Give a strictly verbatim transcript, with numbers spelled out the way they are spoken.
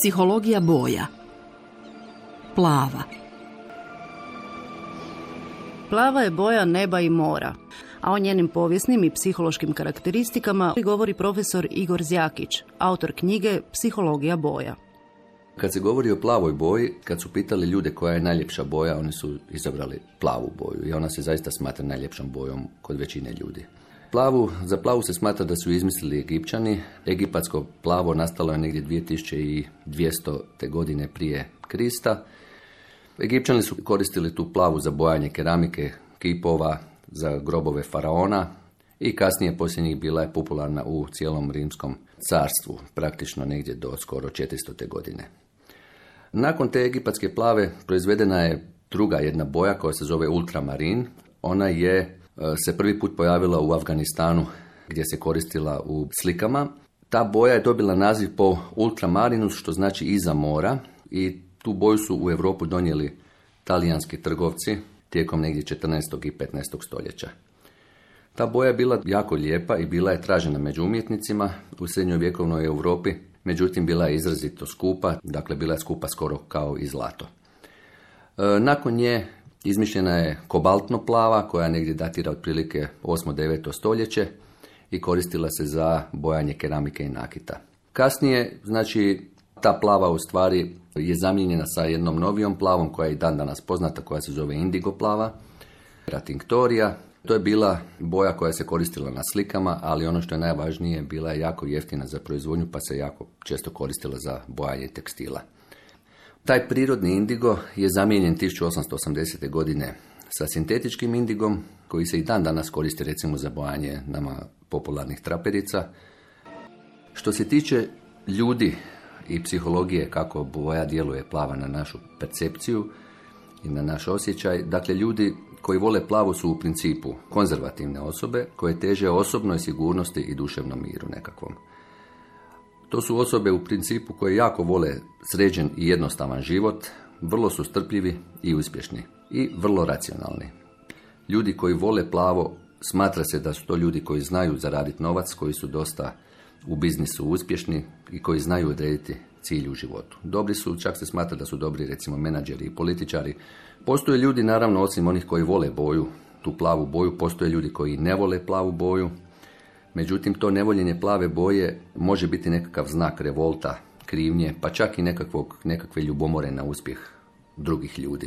Psihologija boja. Plava. Plava je boja neba i mora, a o njenim povijesnim i psihološkim karakteristikama govori profesor Igor Zjakić, autor knjige Psihologija boja. Kad se govori o plavoj boji, kad su pitali ljude koja je najljepša boja, oni su izabrali plavu boju i ona se zaista smatra najljepšom bojom kod većine ljudi. Plavu, za plavu se smatra da su izmislili Egipćani. Egipatsko plavo nastalo je negdje dvije tisuće dvjesto. godine prije Krista. Egipćani su koristili tu plavu za bojanje keramike, kipova, za grobove faraona i kasnije poslije njih bila je popularna u cijelom rimskom carstvu, praktično negdje do skoro četiristo. godine. Nakon te egipatske plave proizvedena je druga jedna boja koja se zove ultramarin. Ona je se prvi put pojavila u Afganistanu gdje se koristila u slikama. Ta boja je dobila naziv po ultramarinus, što znači iza mora, i tu boju su u Europu donijeli talijanski trgovci tijekom negdje četrnaestog i petnaestog stoljeća. Ta boja je bila jako lijepa i bila je tražena među umjetnicima u srednjovjekovnoj Europi, međutim bila je izrazito skupa, dakle bila je skupa skoro kao i zlato. E, nakon nje izmišljena je kobaltno plava koja negdje datira otprilike osmo deveto stoljeće i koristila se za bojanje keramike i nakita. Kasnije, znači, ta plava u stvari je zamijenjena sa jednom novijom plavom koja je i dan danas poznata, koja se zove indigo plava, tinctoria. To je bila boja koja se koristila na slikama, ali ono što je najvažnije, bila je jako jeftina za proizvodnju, pa se jako često koristila za bojanje tekstila. Taj prirodni indigo je zamijenjen tisuću osamsto osamdesete. godine sa sintetičkim indigom, koji se i dan danas koristi recimo za bojanje nama popularnih traperica. Što se tiče ljudi i psihologije, kako boja djeluje plava na našu percepciju i na naš osjećaj, dakle ljudi koji vole plavu su u principu konzervativne osobe koje teže osobnoj sigurnosti i duševnom miru nekakvom. To su osobe u principu koje jako vole sređen i jednostavan život, vrlo su strpljivi i uspješni i vrlo racionalni. Ljudi koji vole plavo, smatra se da su to ljudi koji znaju zaraditi novac, koji su dosta u biznisu uspješni i koji znaju odrediti cilj u životu. Dobri su, čak se smatra da su dobri recimo menadžeri i političari. Postoje ljudi, naravno, osim onih koji vole boju, tu plavu boju, postoje ljudi koji ne vole plavu boju. Međutim, to nevoljenje plave boje može biti nekakav znak revolta, krivnje, pa čak i nekakvog, nekakve ljubomore na uspjeh drugih ljudi.